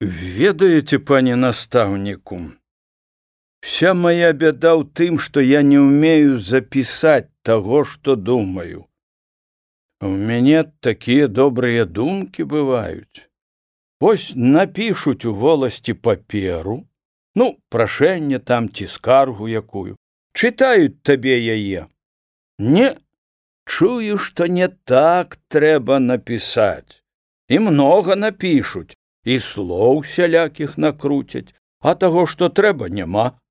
Ведаеце, пане настаўніку, вся моя бяда ў тым, што я не ўмею запісаць таго, што думаю. У мяне такія добрыя думкі бываюць. Вось напішуць у воласці паперу, прашэнне там ці скаргу якую, чытаюць табе яе. Не, чую, што не так трэба напісаць. І многа напішуць, і слоў сялякіх накруцяць, а таго, што трэба, няма.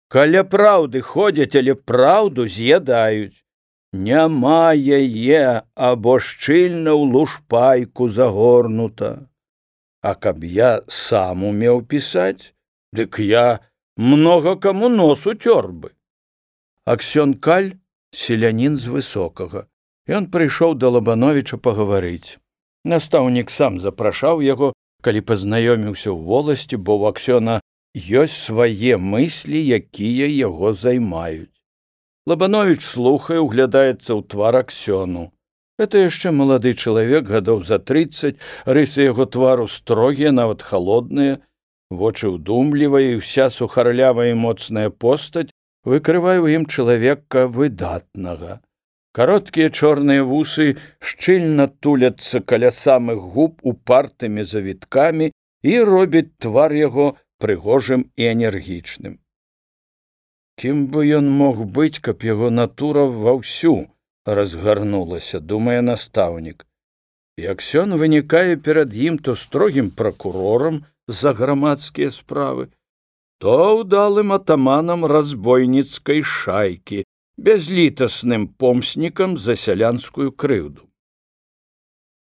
Каля праўды ходзяць, але праўду з'ядаюць. Няма яе, або шчыльна ў лушпайку загорнута. А каб я сам умеў пісаць, дык я многа каму нос уцёр бы. Аксён Каль — селянін з Высокага. Ён прыйшоў да Лабановіча пагаварыць. Настаўнік сам запрашаў яго, калі пазнаёміўся ў воласці, бо ў Аксёна ёсць свае мыслі, якія яго займаюць. Лабановіч слухае, углядаецца ў твар Аксёну. Гэта яшчэ малады чалавек, гадоў за 30, рысы яго твару строгія, нават халодныя, вочы ўдумлівыя, і ўся сухарлявая і моцная постаць выкрывае ў ім чалавека выдатнага. Кароткія чорныя вусы шчыльна туляцца каля самых губ упартымі завіткамі і робяць твар яго прыгожым і энергічным. Кім бы ён мог быць, каб яго натура ваўсю разгарнулася, думае настаўнік. І Аксён вынікае перад ім то строгім пракурорам за грамадскія справы, то ўдалым атаманам разбойніцкай шайкі, бязлітасным помснікам за сялянскую крыўду.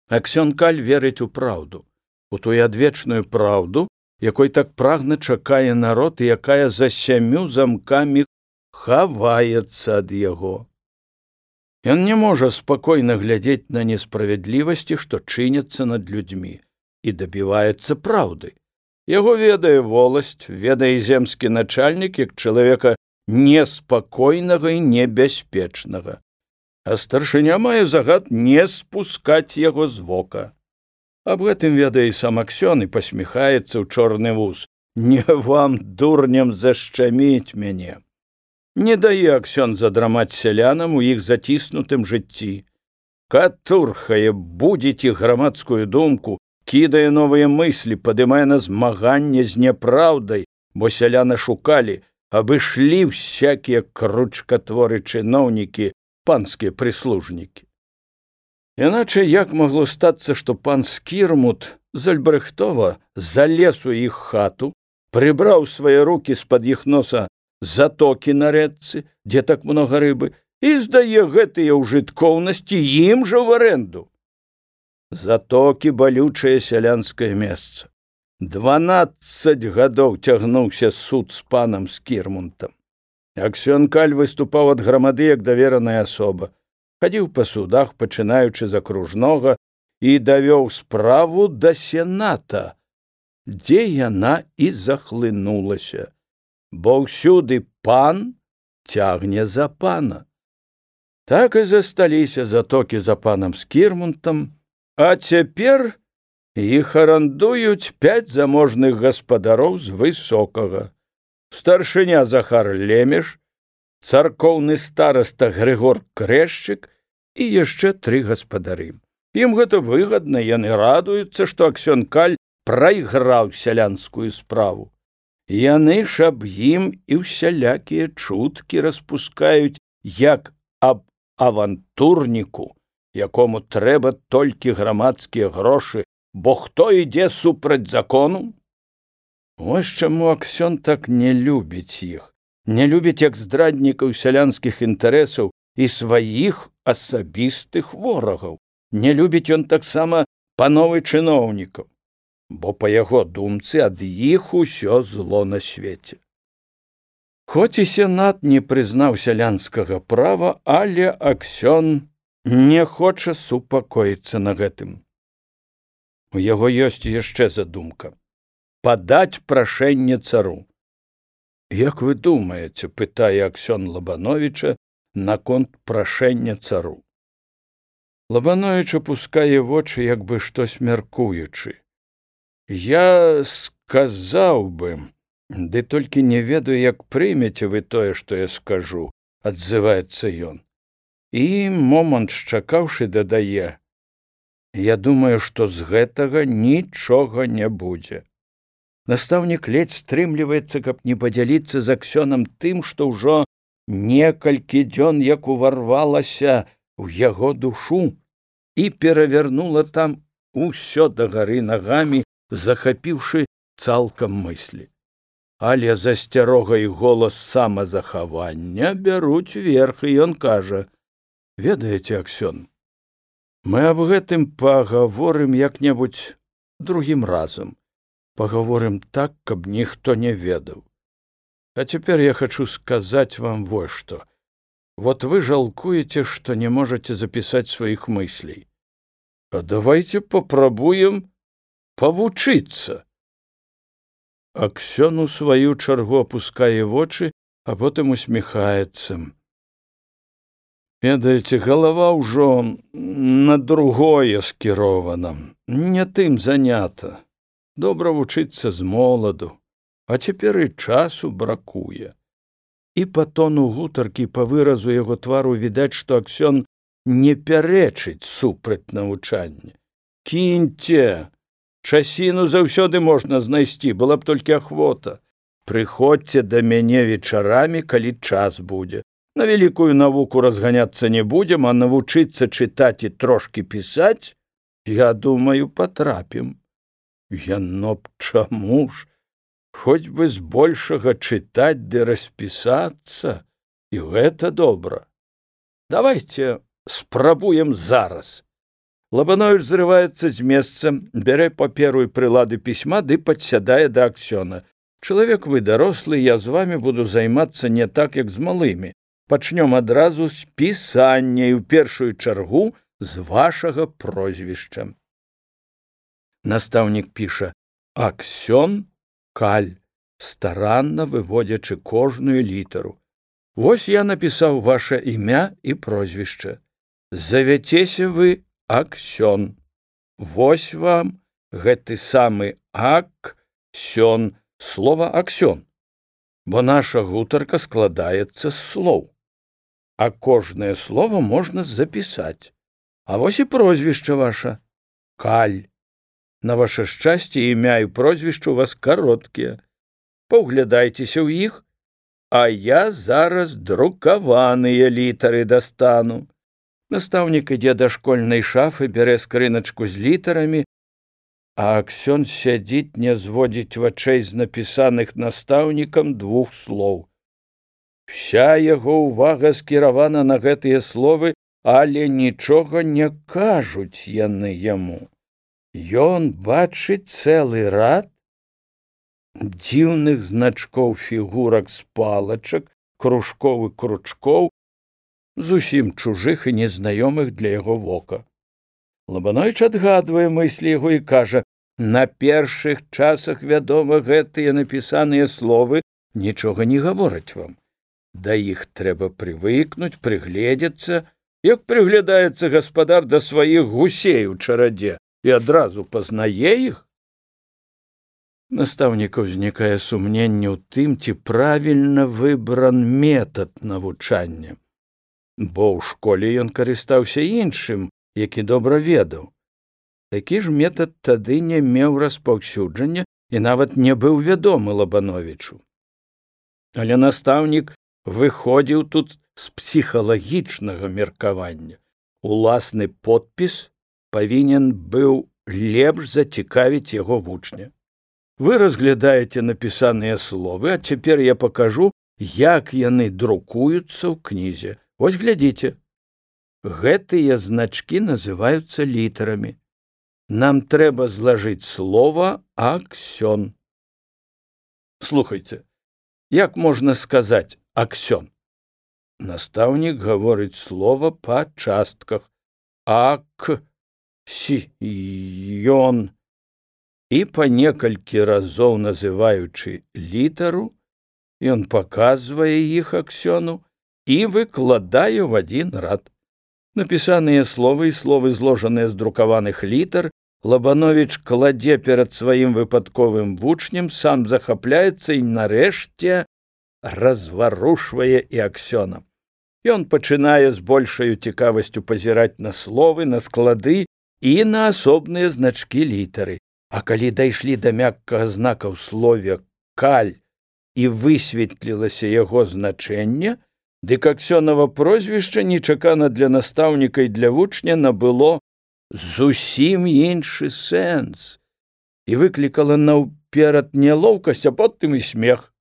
Аксён Каль верыць у праўду, у тую адвечную праўду, якой так прагна чакае народ і якая за 7 замкамі хаваецца ад яго. Ён не можа спакойна глядзець на несправядлівасці, што чыняцца над людзьмі, і дабіваецца праўды. Яго ведае воласць, ведае земскі начальнік як чалавека неспакойнага і небяспечнага. А старшыня мае загад не спускаць яго з вока. Аб гэтым ведае і сам Аксён і пасміхаецца ў чорны вус. Не вам, дурням, зашчаміць мяне. Не дае Аксён задрамаць сялянам у іх заціснутым жыцці. Катурхае, будзіць іх грамадскую думку, кідае новыя мыслі, падымае на змаганне з няпраўдай, бо сяляны шукалі, абышлі всякія кручкатворы чыноўнікі, панскія прыслужнікі. Іначай як магло стацца, што пан Скірмут з Альбрэхтова залез у іх хату, прыбраў свае рукі з-пад іх носа затокі на рэчцы, дзе так многа рыбы, і здае гэтыя ўжыткоўнасці ім жа ў арэнду. Затокі — балючае сялянскае месца. 12 гадоў цягнуўся суд з панам Скірмунтам. Аксён Каль выступаў ад грамады як давераная асоба. Хадзіў па судах, пачынаючы з акружнога, і давёў справу да сената, дзе яна і захлынулася. Бо ўсюды пан цягне за пана. Так і засталіся затокі за панам Скірмунтам, а цяпер іх арандуюць 5 заможных гаспадароў з Высокага. Старшыня Захар Лемеш, царкоўны стараста Грыгор Крэшчык і яшчэ 3 гаспадары. Ім гэта выгадна, яны радуюцца, што Аксён Каль прайграў сялянскую справу. Яны ж аб ім і ўсялякія чуткі распускаюць, як аб авантурніку, якому трэба толькі грамадскія грошы, бо хто ідзе супраць закону? Вось чаму Аксён так не любіць іх, не любіць як здраднікаў сялянскіх інтарэсаў і сваіх асабістых ворагаў. Не любіць ён таксама пановы чыноўнікаў, бо па яго думцы ад іх усё зло на свеце. Хоць і сенат не прызнаў сялянскага права, але Аксён не хоча супакоіцца на гэтым. У яго ёсць яшчэ задумка — падаць прашэнне цару. Як вы думаеце, пытае Аксён Лабановіча наконт прашэння цару. Лабановіч апускае вочы, як бы штось мяркуючы. Я сказаў бы, ды толькі не ведаю, як прымеце вы тое, што я скажу, адзываецца ён. І момант шчакаўшы дадае: я думаю, што з гэтага нічога не будзе. Настаўнік ледзь стрымліваецца, каб не падзяліцца з Аксёнам тым, што ўжо некалькі дзён як уварвалася ў яго душу і перавярнула там усё дагары нагамі, захапіўшы цалкам мыслі. Але засцярога і голас самазахавання бяруць верх, і ён кажа: ведаеце, Аксён, мы аб гэтым пагаворым як-небудзь другім разам. Пагаворым так, каб ніхто не ведаў. А цяпер я хачу сказаць вам вось што. Вот вы жалкуеце, што не можаце запісаць сваіх мыслей. А давайте папрабуем павучыцца. Аксён у сваю чаргу апускае вочы, а потым усміхаецца. Ведаеце, галава ўжо на другое скірована, не тым занята. Добра вучыцца з моладу, а цяпер і часу бракуе. І па тону гутаркі, па выразу яго твару відаць, што Аксён не пярэчыць супраць навучання. Кіньце, часіну заўсёды можна знайсці, была б толькі ахвота. Прыходзьце да мяне вечарамі, калі час будзе. На вялікую навуку разганяцца не будзем, а навучыцца чытаць і трошкі пісаць, я думаю, патрапім. Яно б чаму ж? Хоць бы збольшага чытаць ды распісацца, і гэта добра. Давайте спрабуем зараз. Лабановіч зрываецца з месца, бярэ паперу і прылады пісьма ды падсядае да Аксёна. Чалавек вы дарослы, я з вамі буду займацца не так, як з малымі. Пачнём адразу з пісання і ў першую чаргу з вашага прозвішча. Настаўнік піша: Аксён Каль, старанна выводзячы кожную літару. Вось я напісаў ваша імя і прозвішча. Завяцеся вы Аксён. Вось вам гэты самы Аксён, слова Аксён, бо наша гутарка складаецца з слоў. А кожнае слово можна запісаць. А вось і прозвішча ваша Каль. На ваше шчасце, імя і прозвішча у вас кароткія. Паўглядайцеся ў іх, а я зараз друкаваныя літары дастану. Настаўнік ідзе да школьнай шафы, бярэ скрыначку з літарамі, а Аксён сядзіць, не зводзіць вачэй з напісаных настаўнікам двух слоў. Вся яго ўвага скіравана на гэтыя словы, але нічога не кажуць яны яму. Ён бачыць цэлы рад дзіўных значкоў, фігурак з палачак, кружкоў і кручкоў, зусім чужых і незнаёмых для яго вока. Лабановіч адгадвае мыслі яго і кажа: на першых часах, вядома, гэтыя напісаныя словы нічога не гавораць вам. Да іх трэба прывыкнуць, прыгледзецца, як прыглядаецца гаспадар да сваіх гусей у чарадзе і адразу пазнае іх. Настаўніка ўзнікае сумненне ў тым, ці правільна выбран метад навучання. Бо ў школе ён карыстаўся іншым, які добра ведаў. Такі ж метад тады не меў распаўсюджання і нават не быў вядомы Лабановічу. Але настаўнік выходзіў тут з псіхалагічнага меркавання. Уласны подпіс павінен быў лепш зацікавіць яго вучня. Вы разглядаеце напісаныя словы, а цяпер я пакажу, як яны друкуюцца ў кнізе. Вось глядзіце. Гэтыя значкі называюцца літарамі. Нам трэба злажыць слова Аксён. Слухайце, як можна сказаць Аксён? Настаўнік гаворыць слова па частках. Ак-сі-ён. І па некалькі разоў называючы літару, ён паказвае іх Аксёну і выкладае ў адзін рад. Напісаныя словы і словы, зложаныя з друкаваных літар, Лабановіч кладзе перад сваім выпадковым вучнем, сам захапляецца і нарэшце разварушвае і Аксёна. Ён пачынае з большаю цікавасцю пазіраць на словы, на склады і на асобныя значкі літары. А калі дайшлі да мяккага знака ў слове «каль» і высветлілася яго значэнне, дык Аксёнава прозвішча нечакана для настаўніка і для вучня набыло зусім іншы сэнс і выклікала наўперад нялоўкасць, а потым і смех.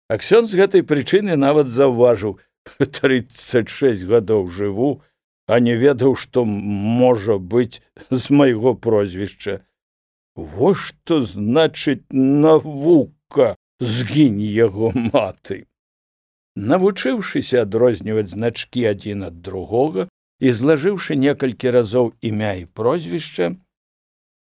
Аксён з гэтай прычыны нават заўважыў: 36 гадоў жыву, а не ведаў, што можа быць з майго прозвішча. Во што значыць навука, згінь яго маты. Навучыўшыся адрозніваць значкі адзін ад другога і злажыўшы некалькі разоў імя і прозвішча,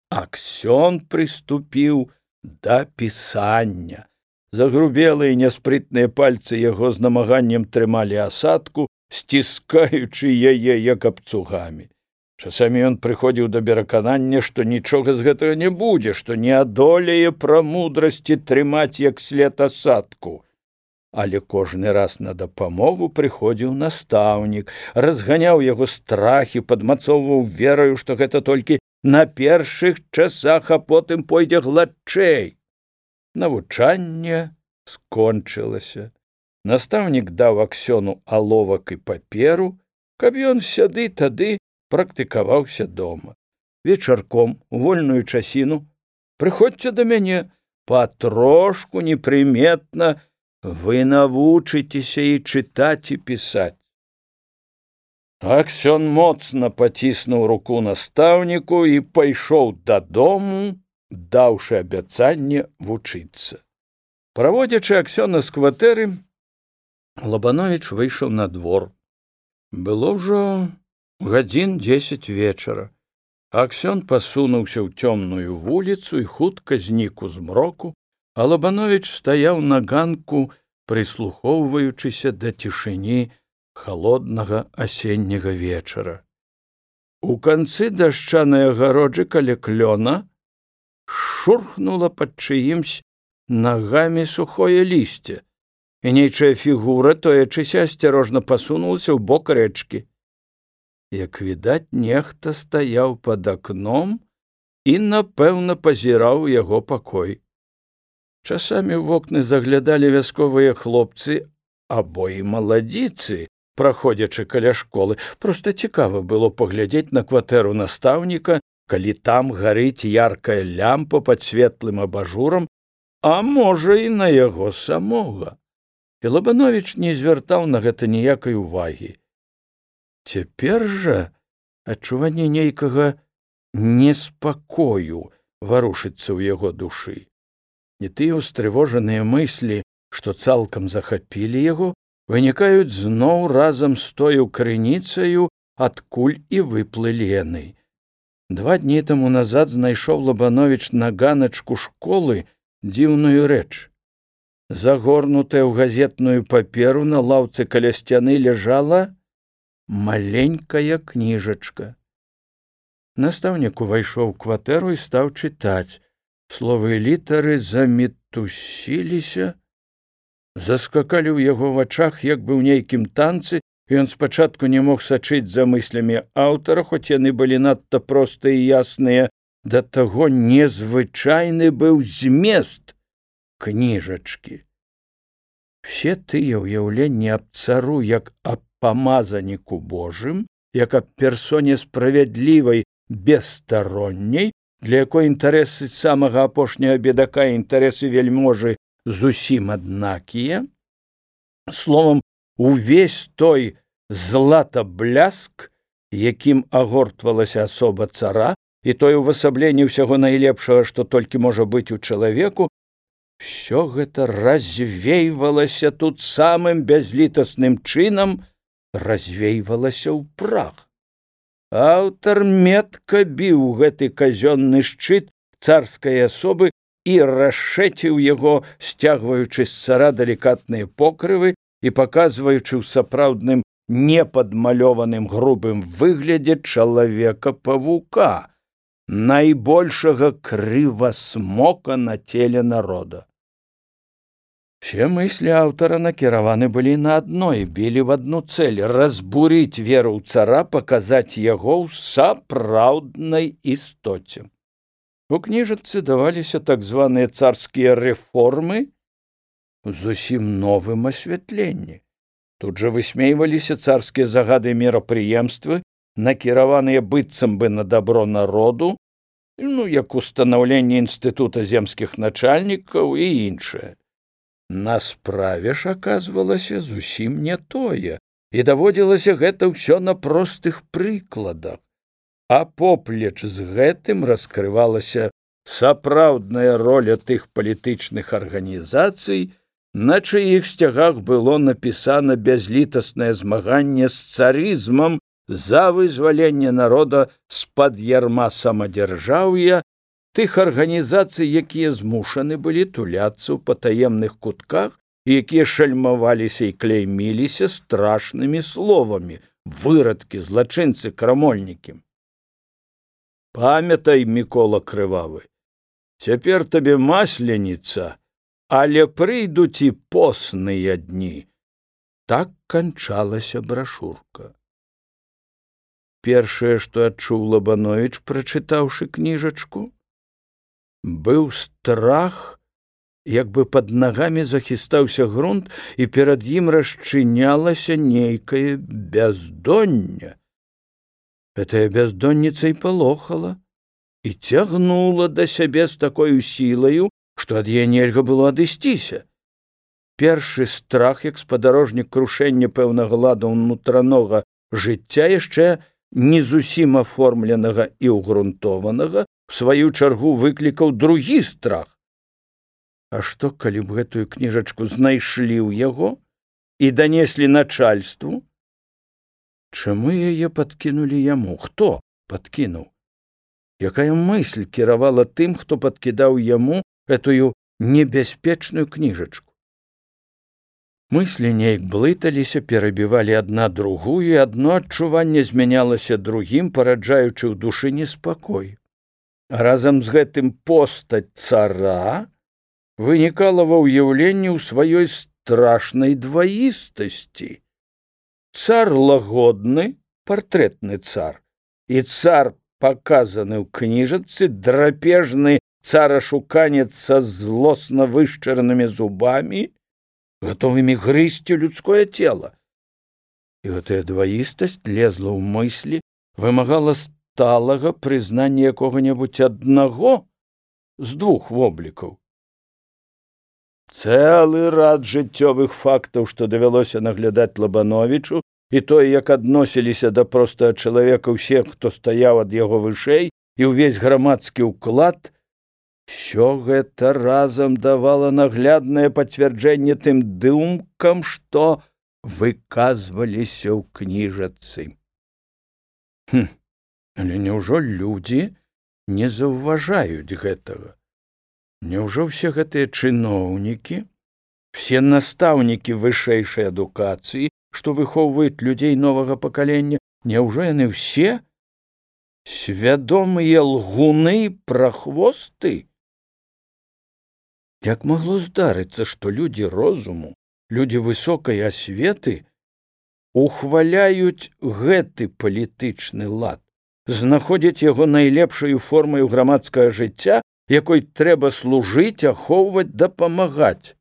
Аксён прыступіў да пісання. Загрубелыя няспрытныя пальцы яго з намаганнем трымалі асадку, сціскаючы яе як абцугамі. Часамі ён прыходзіў да пераканання, што нічога з гэтага не будзе, што не адолее прамудрасці трымаць як след асадку. Але кожны раз на дапамогу прыходзіў настаўнік, разганяў яго страхі, падмацоўваў вераю, што гэта толькі на першых часах, а потым пойдзе гладчэй. Навучанне скончылася. Настаўнік даў Аксёну аловак і паперу, каб ён сяды-тады практыкаваўся дома. Вечарком, у вольную часіну, прыходзьце да мяне, патрошку непрыметна вы навучыцеся і чытаць і пісаць. Аксён моцна паціснуў руку настаўніку і пайшоў дадому, даўшы абяцанне вучыцца. Праводзячы Аксёна з кватэры, Лабановіч выйшаў на двор. Было ўжо гадзін 10 вечара. Аксён пасунуўся ў цёмную вуліцу і хутка знік у змроку, а Лабановіч стаяў на ганку, прыслухоўваючыся да цішыні халоднага асенняга вечара. У канцы дашчанай агароджы каля клёна шурхнула пад чыімсь нагамі сухое лісце, і нейчая фігура, тоячыся, асцярожна пасунулася ў бок рэчкі. Як відаць, нехта стаяў пад акном і, напэўна, пазіраў у яго пакой. Часамі ў вокны заглядалі вясковыя хлопцы або і маладзіцы, праходзячы каля школы. Проста цікава было паглядзець на кватэру настаўніка, калі там гарыць яркая лямпа пад светлым абажурам, а можа і на яго самога. І Лабановіч не звяртаў на гэта ніякай увагі. Цяпер жа адчуванне нейкага неспакою варушыцца ў яго душы. Не тыя ўстрывожаныя мыслі, што цалкам захапілі яго, вынікаюць зноў разам з тою крыніцаю, адкуль і выплылі яны. 2 дні таму назад знайшоў Лабановіч на ганачку школы дзіўную рэч. Загорнутая ў газетную паперу на лаўцы каля сцяны ляжала маленькая кніжачка. Настаўнік увайшоў у кватэру і стаў чытаць. Словы і літары замітусіліся, заскакалі ў яго вачах, як бы ў нейкім танцы, і ён спачатку не мог сачыць за мыслямі аўтара, хоць яны былі надта простыя і ясныя, да таго незвычайны быў змест кніжачкі. Все тыя ўяўленні аб цару як аб памазаніку Божым, як аб персоне справядлівай, бесстаронняй, для якой інтарэсы самага апошняга бедака і інтарэсы вельможы зусім аднакія. Словам, увесь той златабляск, якім агортвалася асоба цара, і тое ўвасабленне ўсяго найлепшага, што толькі можа быць у чалавеку, усё гэта развейвалася тут самым бязлітасным чынам, развейвалася ў прах. Аўтар метка біў гэты казённы шчыт царскай асобы і расшэціў яго, сцягваючы з цара далікатныя покрывы і паказваючы ў сапраўдным непадмалёваным грубым выглядзе чалавека-павука, найбольшага крывасмока на теле народа. Все мысли аўтара накіраваны былі на адно і білі в одну цель — разбурыць веру ў цара, паказаць яго ў сапраўднай істоце. У кніжачцы даваліся так званыя царскія рэформы зусім новым асвятленні. Тут жа высмейваліся царскія загады і мерапрыемствы, накіраваныя быццам бы на дабро народу, як устанаўленне інстытута земскіх начальнікаў і іншае. На справе ж аказвалася зусім не тое, і даводзілася гэта ўсё на простых прыкладах. А поплеч з гэтым раскрывалася сапраўдная роля тых палітычных арганізацый, на чыіх сцягах было напісана бязлітаснае змаганне з царызмам за вызваленне народа з-пад ярма самадзяржаўя, тых арганізацый, якія змушаны былі туляцца ў патаемных кутках і якія шальмаваліся і клейміліся страшнымі словамі: вырадкі, злачынцы, крамольнікі. Памятай, Мікола Крывавы, цяпер табе масленіца, але прыйдуць і посныя дні. Так канчалася брашурка. Першае, што адчуў Лабановіч, прачытаўшы кніжачку, быў страх, як бы пад нагамі захістаўся грунт, і перад ім расчынялася нейкае бяздонне. Гэтая бяздонніца і палохала, і цягнула да сябе з такою сілаю, што ад яе нельга было адысціся. Першы страх, як спадарожнік крушэння пэўнага ладу ўнутранога жыцця, яшчэ не зусім аформленага і ўгрунтованага, в сваю чаргу выклікаў другі страх. А што, калі б гэтую кніжачку знайшлі ў яго і данеслі начальству? Чаму яе падкінулі яму? Хто падкінуў? Якая мысль кіравала тым, хто падкідаў яму гэтую небяспечную кніжачку? Мыслі неяк блыталіся, перабівалі адна другую, і адно адчуванне змянялася другім, параджаючы ў душы неспакой. А разам з гэтым постаць цара вынікала ва ўяўленні ў сваёй страшнай дваістасці. Цар лагодны, партрэтны цар, і цар, паказаны ў кніжачцы, драпежны царашуканец са злосна вышчаранымі зубамі, гатовымі грызці людское цела. І гэтая дваістасць лезла ў мыслі, вымагала сталага прызнання якога-небудзь аднаго з двух воблікаў. Цэлы рад жыццёвых фактаў, што давялося наглядаць Лабановічу, і тое, як адносіліся да простага чалавека ўсе, хто стаяў ад яго вышэй, і ўвесь грамадскі ўклад, усё гэта разам давала нагляднае пацвярджэнне тым думкам, што выказваліся ў кніжачцы. Але няўжо людзі не заўважаюць гэтага? Няўжо ўсе гэтыя чыноўнікі, все настаўнікі вышэйшай адукацыі, што выхоўваюць людзей новага пакалення, няўжо яны ўсе свядомыя лгуны, прахвосты? Як магло здарыцца, што людзі розуму, людзі высокай асветы ухваляюць гэты палітычны лад, знаходзяць яго найлепшаю формаю грамадскага жыцця, якой трэба служыць, ахоўваць, дапамагаць?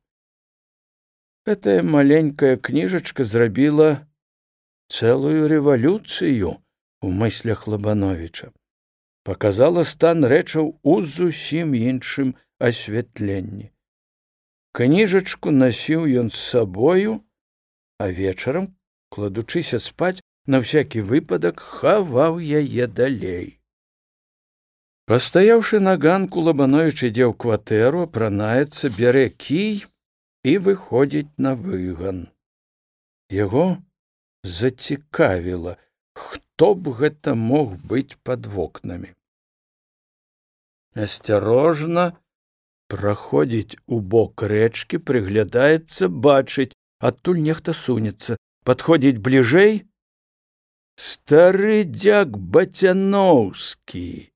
Гэтая маленькая кніжачка зрабіла цэлую рэвалюцыю у мыслях Лабановіча, паказала стан рэчаў у зусім іншым асвятленні. Кніжачку насіў ён з сабою, а вечарам, кладучыся спаць, на всякі выпадак хаваў яе далей. Пастаяўшы на ганку, Лабановіч ідзе ў кватэру, апранаецца, бярэ кій і выходзіць на выган. Яго зацікавіла, хто б гэта мог быць пад вокнамі. Асцярожна праходзіць у бок рэчкі, прыглядаецца, бачыць, адтуль нехта сунецца, падходзіць бліжэй. Стары дзяк Бацяноўскі,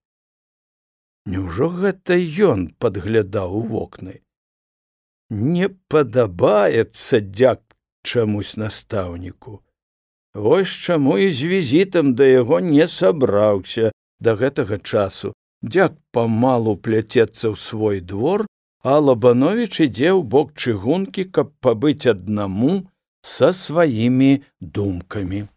Няўжо гэта ён падглядаў у вокны? Не падабаецца дзяк чамусь настаўніку. Вось чаму і з візітам да яго не сабраўся да гэтага часу. Дзяк памалу пляцецца ў свой двор, а Лабановіч ідзе ў бок чыгункі, каб пабыць аднаму са сваімі думкамі.